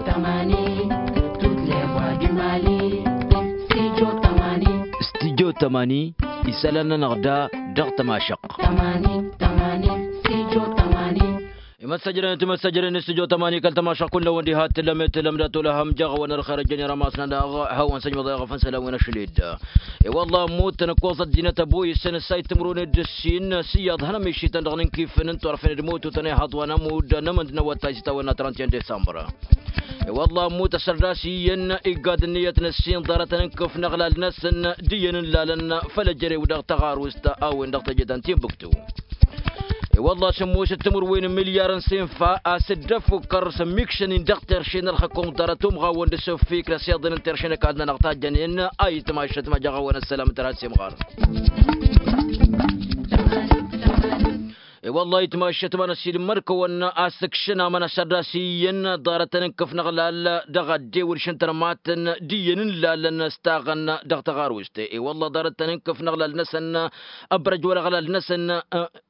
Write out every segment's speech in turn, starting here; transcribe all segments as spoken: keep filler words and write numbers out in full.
Tămani, tutleɣ wa d-imali. Studio tămani. Studio tămani. Isălan-nănăɣ da dăɣ-tămašăɣt. Tămani, tămani. Studio tămani. Imăssăjrăn timăssăjrăn studio tămani kăl-tămašăɣt kull-năwăn diha t-tǝllăm i-tǝllăm dat-olăhăm jaɣ-awăn ărxer ăjjănen rămas-nănăɣ hawăn-săjmăḍ i-aɣăfăn isălan wi n-ašăl-dd. I-wălla ămmut tăn-ǝkkoẓ ăddinăt ăboyǝsăn ǝssay timǝrwen d-ǝssin s-iyyăḍ hăn ămišităn dăɣ-inǝnkifăn n-turfen d-imututăn ihăḍ wa n-ămudd n-amǝnd n-awătay s-itawănna trănt i-en disămbăr. I-wălla ămmut ăssărdas iyyăn iggaḍ ǝnniyăt n-ǝssin ḍarătăn n-kăf n-aɣlal-năsăn d-iyyăn ǝllalăn făll-ăjrew dăɣ-taɣarust a-wen-dăɣ teje ta n-tinbǝktu. I-wălla sǝmmos d-timǝrwen n-milyar n-sinfa a-s dd-ăffukkăr s-ămmikšăn-in dăɣ-terše n-ălxăkkum ḍarăt umɣawăn d-asǝffikr ăsiḍăn n-terše n-ăkall-nănăɣ tajjănen a itmašăt ma jaɣ-awăn ăssălam tărha s-imɣar. I-wălla itmašăt ma n-ăssiilmăd-kăwăn a-s ǝkšăn amăn ăssărdas iyyăn ḍarătăn n-kăf n-aɣlal dăɣ-addew d-šăn tărmatăn d-iyyăn n-lalăn s-taɣăn dăɣ-taɣarust. I-wălla ḍarătăn n-kăf n-aɣlal-năsăn ăbrăj wăr-aɣlal-năsăn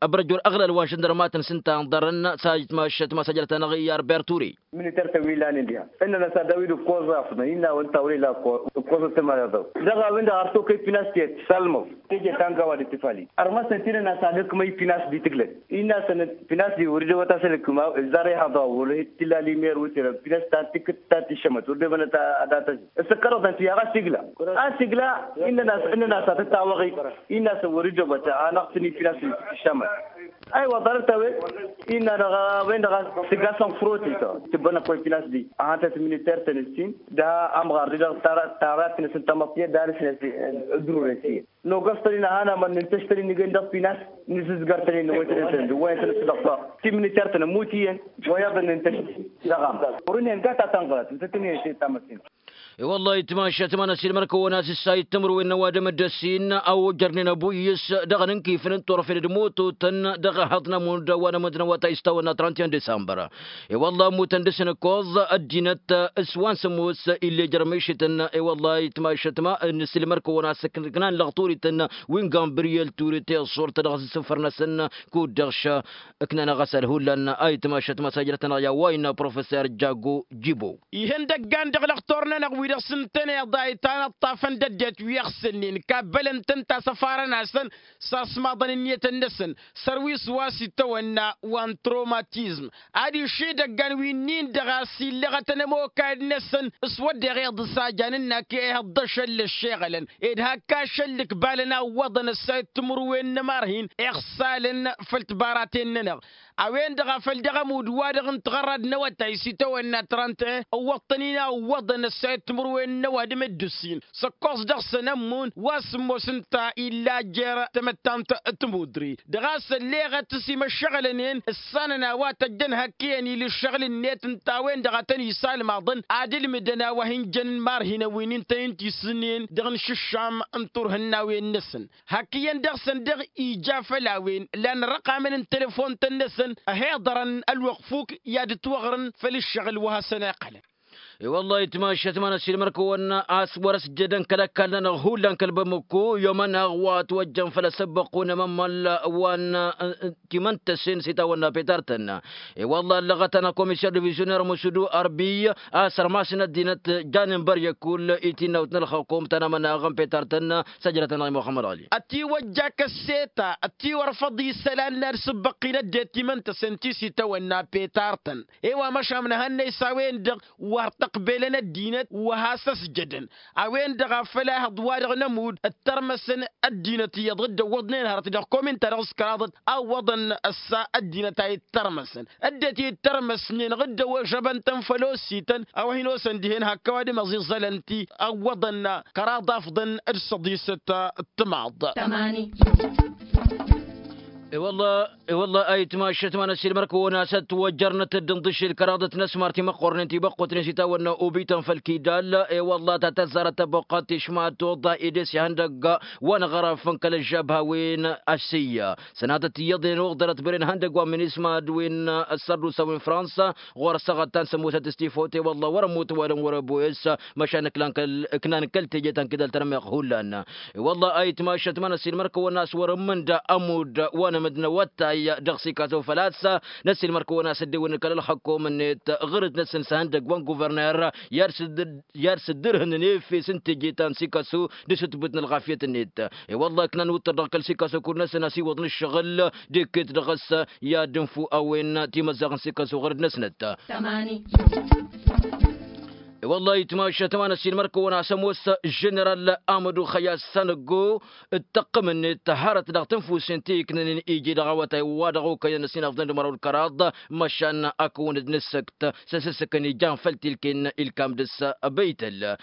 ăbrăj wăr-aɣlal wa n-žăndărmatăn s-ǝnta ǝnḍărăn s-a itmašăt ma s-ajrăt-anăɣ i-arbert ture. Militer-tăn wi lanen diha ǝnnăn a-s ad-dăɣ-wi d-ǝkkoẓ afḍăn innă a-wen tawrela ǝkkoẓ ǝkkoẓăt tămăleḍăw. Dăɣ-a-wen-dăɣ ar tokăy pinas tiyyăt s-almăḍ teje ta n-gawa d-tifali. Ărmăsăn ti-dăɣ n-a-s ad-ǝkmăy pinas di tǝglăt innă-săn pinas di wăr-dd-ăwăt a-s ălǝkma zar ihăḍa wăr-hi-t tilla limer wi tira pinas ta n-tikǝt ta n-tišămăt wăr-dd-ăwăt ad-atăẓi. S-ǝkkărăḍăn ti-a ɣas igla a-s igla. Innăn a-s innăn a-s ad-tăt-awăɣ-i innă-săn wăr-dd-ăwăt a ănăɣ-tăn-i pinas di tǝššamăt. Aywa ḍarăt-a-wen innă-dăɣ a-wen-dăɣ a-s tǝgg-asăn frotităɣ tǝbbănăk wa ipinas-di. Ad-hantăt militer-tăn ǝssin dăɣ-amɣar-di-dăɣ tara tara-tăn ǝssin tamăḍt tiyyăt dăɣ-ad-ǝssin ăddururăn tiyyăt. Nogăs-tăn-in a hanămăn nǝntăš-tăn-in nǝjăn dăɣ-pinas nǝzǝzgăr-tăn-in nǝwăy-tăn-in tăn-dd-ǝwwăyăn-tăn-dd dăɣ-tăɣ ti-militer-tăn ămmut iyyăn. Wa iyyăḍ n-nǝntăš daɣ-am wăr-ǝnhǝyăn gata tanzărat ǝnta tǝnhǝyăn šăy tamăssin. I-wăllah itmašăt ma n-ăsilmăr-kăwăn a-s ǝssa ittǝmǝrwen n-ăwadǝm d-ăssin a ojărnen ăbu-iyyǝs dăɣ-inǝnkifăn n-turfen d-imototăn dăɣ-ehăḍ n-amund wa n-amǝnd n-awătay s-tawănna trănt i-en disămbăr. I-wăllah ămmutăn dăɣ-s inǝkkoẓ ăddinăt s-wa n-sǝmmos ill'-e jărmešităn. I-wăllah itmašăt ma n-ăsilmăr-kăwăn a-s ǝknan lăɣturităn wi n-gambriyel turit i-ăṣṣurt dăɣ-s isǝfăr-năsăn kud-dăɣ š-ǝknan aɣăsal hullan a itmašăt ma s-ajrăt-anăɣ i-a-wa innă professor jago jibo. Ihăndăggan dăɣ-lăxtur-nănăɣ wi dăɣ-s ǝntăneḍ a itanăṭṭafăn d-ăddinăt wi ăɣsǝlnen kabbălăn-tăn tasăfarăn-asăn s-asmaḍăn ǝnniyătăn-năsăn. Sărwis wa s-itawănna wa n-tromatizm ad-išidăggan wi ǝnnin-dăɣ a-s illăɣătăn ămokayăd-năsăn s-wădden iḍǝs a jan ǝnnak i-ihăḍḍăšăn l-ăššeɣălăn ed hak ašăl d-ǝkbalăn a ǝwwăḍăn ăssayăt timǝrwen n-ămarhin iɣsalăn făll-tibaraten-nănăɣ. A-wen-dăɣ a făl dăɣ-ămudd-wa-dăɣ n-tiɣărrad n-awătay s-itawănna trănt-en ǝwwăḍ-tăn-in a ǝwwăḍăn ăssayăt timǝrwen n-ăwadǝm d-ǝssin s-ǝkkoẓ dăɣ-săn ămmun wa s-ămoos ǝnta illa jer-tamăttant. Timudre dăɣ-a-s ălleɣăt s-imăššăɣălăn-en ǝssanăn a-wa tăjjăn hak iyyăn ila ǝššăɣǝl-net ǝnta a-wen-dăɣ a tăn-isalmaḍăn ad-ǝlmǝdăn a-wa hin-jăn n-imarhinăn wi n-intăn-in tisǝnnen dăɣ-inǝššǝššam n-turhǝnnawen-năsăn. Hak iyyăn dăɣ-săn dăɣ-ija făll-a-wen lan răqamăn n-telăfon-tăn-năsăn ăhiḍărăn ălwăqq fuk i-ad-ǝtwăɣrǝn făll-ǝššăɣǝl wa hasăn-a iqqălăn. I-wăllah itmašăt ma n-ăsilmăr-kăwăn a-s wăr-ăsjădăn kăl-ăkall-nănăɣ hullan kăl-bamăkko i-omăneɣ wa ătwăjjăn făll-asăbbăqqu n-amămmal wa n-timăntăsen s-itawănna petar-tăn. I-wăllah ăllăɣăt-anăɣ komiser divizioner musudu arbi a-s ărmasăn ăddinăt janen băryăk kull-i tinnawt n-ălxăkum ta n-amăneɣ n-petar-tăn. Săjrăt-anăɣ i-muxămmăd ɣali ătiwăjja kăsseta ătiwărfăḍ isălan n-ad-sǝbbăqqin ăddinăt timăntăsen ti s-itawănna petar-tăn. I-wa măšan mănhănnăy s-a-wen-dăɣ wăr t-ăqbelăn ăddinăt wa has-ăsjădăn. A-wen-dăɣ a făl ehăḍ-wa-dăɣ n-ămudd ǝttărmăsăn ăddinăt iyyăḍ dd-ăwwăḍnen hărăt dăɣ-komin-ta-dăɣ s-kăraḍăt a ǝwwăḍăn ăssa ăddinăt a ittărmăsăn ăddinăt ittărmăsnen ɣǝddăwăžăbăn-tăn făll-osităn a-wa hin-osăn dihen hak ăwadǝm ăẓiẓălăn-t-i ăwwăḍăn kăraḍ afḍăn d-săḍisăt. Timaḍ. I-wălla i-wălla a itmašăt ma n-ăsilmăr-kăwăn a-s ătwăjjărnăt dd-ǝnḍǝšel kăraḍăt n-ăsmar timăqqornen tibăqqutnen s-itawănna obităn făll-kidal. I-wălla ta tăzzarăt tăbuqqat tišmatoḍa edes ihăndăgg wa n-aɣăraf n-kăl-ăžžab hawen. Ăssiyya sănatăt iyyăḍnen uɣdărăt băren ihăndăgg wa n-minisma d-wen ăssărdusa wi n-fransa ɣur-ăssaɣăt ta n-sămusăt s-tifote wălla wăr-ămmut ăwadǝm wăr-ăboyăs. Măšan ǝknan kăl-teje ta n-kidal tărmeɣ hullan. I-wălla a itmašăt ma n-ăsilmăr-kăwăn a-s wăr-ǝmmǝnda ămudd wa n-ămǝnda. n-awăttay dăɣ-sikaso făl-a-s năssiilmăr-kăwăn a-s dd-ewăn kăl-ălxăkkom-net ɣur-dd-năsăn s-ihăndăgg wa n-guverner i-ad-sǝddǝrhǝnăn efes n-teje ta n-sikaso d-asǝtbǝt n-ălɣafyăt-net. I-wălla iknan uttăr dăɣ-kăl-sikaso kud-năsăn a-s iwwăḍ n-ǝššăɣǝl d-ekket dăɣ-s i-ad-dd-infǝw a-wen timăzzaɣ n-sikaso ɣur-dd-năsnăt. I-wălla itmašăt ma n-ăssiilmăr-kăwăn a-s ămoos ženeral amădu xăyas sanăggo d-tăqqǝm-net hărăt dăɣ-tǝnfusen ti iknănen iji dăɣ-awătay wa dăɣ-okăyăn ăsinafḍăn d-măraw d-kăraḍ măšan ad-kăwăn-dd-nǝssăkt s-asǝssǝkăn ijan făll-tilken ilkam dăɣ-s. Băytăl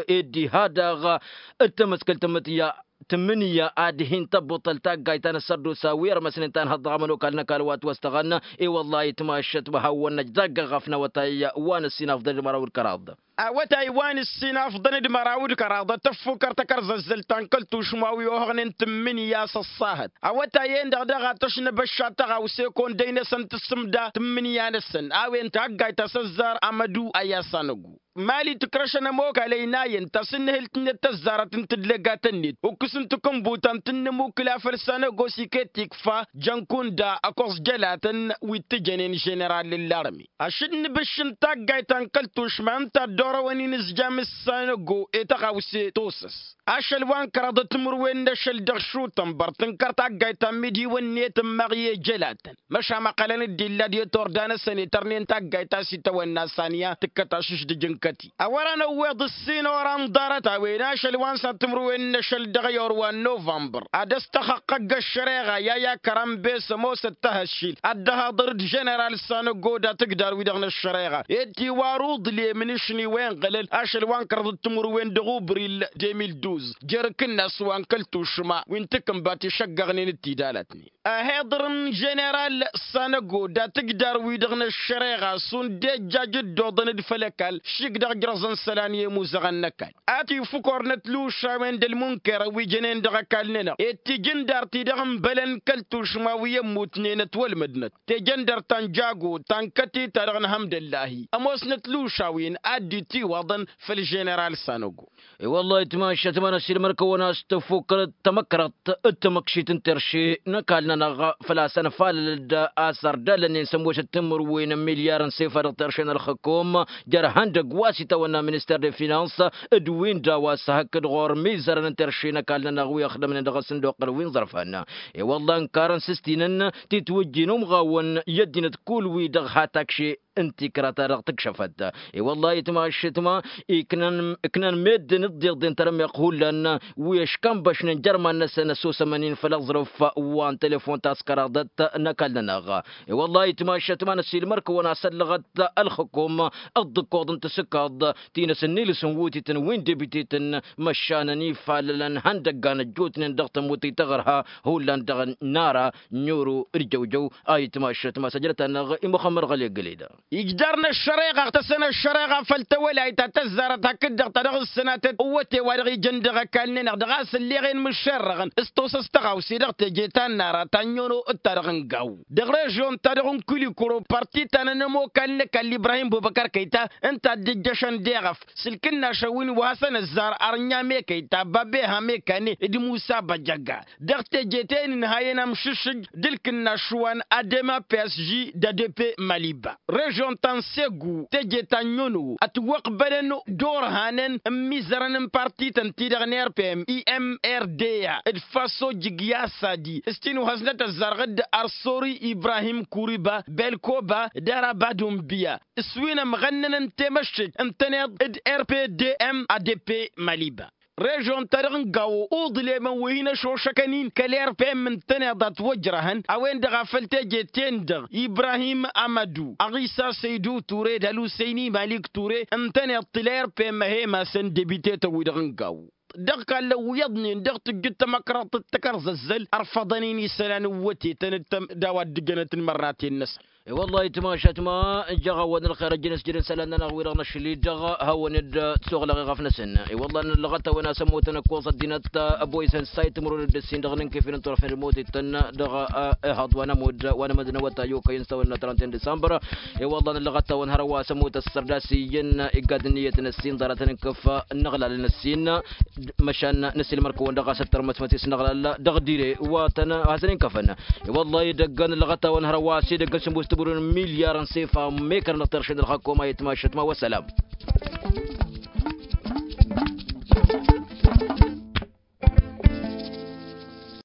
ed diha daɣ d-tamăskălt tǝmmǝtǝyya tǝmmǝnǝyya ad-hin-tăbbuṭṭăl taggayt ta n-ăssărdusa wi ărmăsnen ta n-hăḍ dăɣ-amănokal n-ăkall wa t-wăstăɣăn. I-wăllah itmašăt wa hawăn-năj dagg-ăɣaf n-awătay wa n-ăssinafḍăn d-măraw d-kăraḍ. Awătay wa n-ăssinafḍăn d-măraw d-kăraḍ tăffukăr takărzăzzălt ta n-kăl-tušma wi ohăɣnen tǝmmǝnǝya s-ăṣṣahăt awătay-en-dăɣ daɣ a tăšnăbăšša tăɣawse kăwăn-dăy-năsăn tǝssǝmda tǝmmǝnǝya-năsăn a-wen taggayt ta s-ăzzar amădu ăyy a-s anăggu. Mali tǝkrăšăn ămokal ăynayăn tasǝnnǝhǝlt-net tăzzarăt n-tǝdlăgatăn-net ukǝs n-takǝnbut ta n-tǝnnǝmukǝla făll-sanăgos iket ikfa jăn kunda ăkoẓ jălatăn wi t-tǝjănen ženeral n-larme. Ašăl n-ibǝšš n-taggayt ta n-kăl-tušma ǝnta dd-orăwăn inǝzjam s-sanăgo i-tăɣawse tosăs. Ašăl wa n-kăraḍăt timǝrwen n-ašăl dăɣ-šutănbăr tǝnkăr taggayt ta n-imidiwăn-net ǝmmaɣ i-ejălatăn măšan măqqălăn-dd illa d-i-turda-năsăn itărnen taggayt ta s-itawănna saniya tǝkkăt ašǝšdǝj n-kăti. Ăwărăn ăwweḍ ǝssin oran ḍarăt a-wen ašăl wa n-săr timǝrwen n-ašăl dăɣ-i or wa n-novămbăr ad-ăstăxăqqăgg ăššăreɣa i-a i-akărambe s-ămoosăt tahăššil ad-dd-ăhaḍăr d-ženeral sanăggo d-atǝgdar-wi-dăɣ n-ăššăreɣa ed tiwar uḍlem n-ašni wa inɣălăl ašăl wa n-kărăḍăt timǝrwen dăɣ-ubril. De mil duz jer-akǝnnas wa n-kăl-tušma wi n-takǝnbat išăggăɣnen d-tidalătnen. Ăhiḍăr n-ženeral sanăgo d-atǝgdar-wi-dăɣ n-ăššăreɣa šund ejjaj dd-oḍăn d-făll-ăkall šik dăɣ-ǝjrăẓăn isălan i-imuzăɣăn n-ăkall. Ad-t-ifukor-năt lušawen d-ălmunkerăn wi jănen dăɣ-ăkall-nănăɣ ed tijǝndar-ti-dăɣ n-bălăn kăl-tušma wi ămmutnen ătwălmădnăt tejăndărt ta n-jago ta n-kăti-ta-dăɣ n-hămdăllahi ămoosnăt lušawen ad-dd-itiwăḍăn făll-ženeral sanăgo. I-wăllah itmašăt ma n-ăssiilmăr-kăwăn a-s tăffukkăr tamăkrăḍt d-tamăkšit n-terše n-ăkall-nănăɣ făl-a-s ănfalăl-dd a-s ărdalăn-in s-ămoosăt timǝrwen n-milyar n-sefa dăɣ-terše n-ălxǝkum jer-ihăndăgg wa s-itawănna minister de finans d-win-dăɣ wa s-hakd ɣur-mizărăn n-terše n-ăkall-nănăɣ wi ăxdămnen dăɣ-asǝnduqăl wi n-iẓrăfan. I-wăllah ǝnkarăn s-ǝstinăn titwǝjji n-umɣawăn i-ăddinăt kull-wi-dăɣ ha takše n-tikra-ta-dăɣ tǝkšăfăt. I-wăllah itmašăt ma iknăn meddǝn d-iḍeḍen tărmeɣt hullan wi ăškănbăšnen jer-iman-năsăn ăssosămăn-in făll-aẓrǝf wa n-telefon ta s-kăraḍăt n-ăkall-nănăɣ. I-wăllah itmašăt ma n-ăssiilmăr-kăwăn a-s ăllăɣăt ălxǝkum d-ǝkkoḍ n-tasǝkkaḍt ti n-asǝnnilǝs n-wutităn wi n-debitităn măšan ănifalălăn ihăndăggan ăjjootnen dăɣ-tămut ităɣrǝha hullan dăɣ-nara n-oro d-jăwjăw. A itmašăt ma s-ăjrăt-anăɣ i-muxămmăd ɣăli ăggăleda. Ijdar n-ăššăreɣa ăɣtăsăn ăššăreɣa făll-tawălayt ta tăzzarăt hakd-dăɣ ta dăɣ-ǝssǝnatăt ǝwwăte wa dăɣ-ijăn dăɣ-ăkall-nănăɣ dăɣ-a-s ǝlleɣen mǝššerrăɣăn s-tosăs tăɣawse dăɣ-teje ta n-nara ta n-yono d-ta-dăɣ n-gaw dăɣ-režyon-ta-dăɣ n-kulikuro parti ta n-ănămokal n-ăkall ibrahim bubăkăr kăyta ǝnta a dd-ǝjjăšăn deɣăf s-ǝlkǝnnašăn wi n-wa hasăn-ăzzar arǝnya mekăyta babeha mekane d-musa băjăga dăɣ-teje ta inǝnhayăn amšǝššǝj d-ǝlkǝnnaš wa n-adema psg d-adp maliba. Režyon ta n-segu teje ta n-nyono ătwăqbălăn d-orhanăn n-imizărăn n-partităn-ti-dăɣ n-rpm i-mrda d-faso jǝgya sadi s-tinuhăznăt ăzzarɣ d-arsori ibrahim kuriba belkoba d-araba d-unbiya s-wi n-ămɣănnăn n-temăššek ǝntăneḍ d-rpdm adp maliba. Režyon-ta-dăɣ n-gawo uḍlemăn wi hin-ăšošăkăn-in kăl-rpm ǝntăneḍ a ătwăjrăhăn a-wen-dăɣ a făl teje-ten-dăɣ ibrahim amădu ăɣisa săydu ture d-ălusăyni malik ture ǝntăneḍ tǝla rpm ăhemasăn debitetăn-wi-dăɣ n-gawo. Dăɣ-kallăn wi iyyăḍnen dăɣ-tǝjjǝd tamăkrăḍt d-takărzăzzăl ărfăḍăn-in isălan n-wătetăn d-a-wa dd-jănăt n-imărnaten-năsăn. I-wăllah itmašat ma jăɣ-awăn ălxer ăjjăn s-jădăn isălan-nănăɣ wi-dăɣ năšli dăɣ-hawăn-dd, tisoɣlăɣ iɣăf-năsăn. I-wăllah n-ălɣăt-awăn a-s ămmutăn ǝkkoẓ ăddinăt, ăboyăsăn s-a-itmărun d-ǝssin dăɣ-inǝnkefel n-turăfen d-ămmut ittăn dăɣ-ehăḍ wa n-ămudd wa n-amădnăwăt a i-okăyăn s-a-wănna trănten disămbăr. I-wăllah n-ălɣăt-awăn hărwa a-s ămmut ăssărda s-iyyăn igad ǝnniyăt n-ăssin ḍarătăn n-kăf n-iɣlalăn ăssin. Măšan n-ăssin mărkăwăn dăɣ-a-s ăttărmăsmăt-i s-inăɣlal dăɣ-dire wa tăn-hasăn-inkăfăn. I-wăllah idăggăn ălɣăt-awăn hărwa a-s idăggăn s-ămoos tǝbǝrun milyar n-sefa mekăr n-ăṭṭeršen d-ălxăkkom a itmašăt ma wăssălam.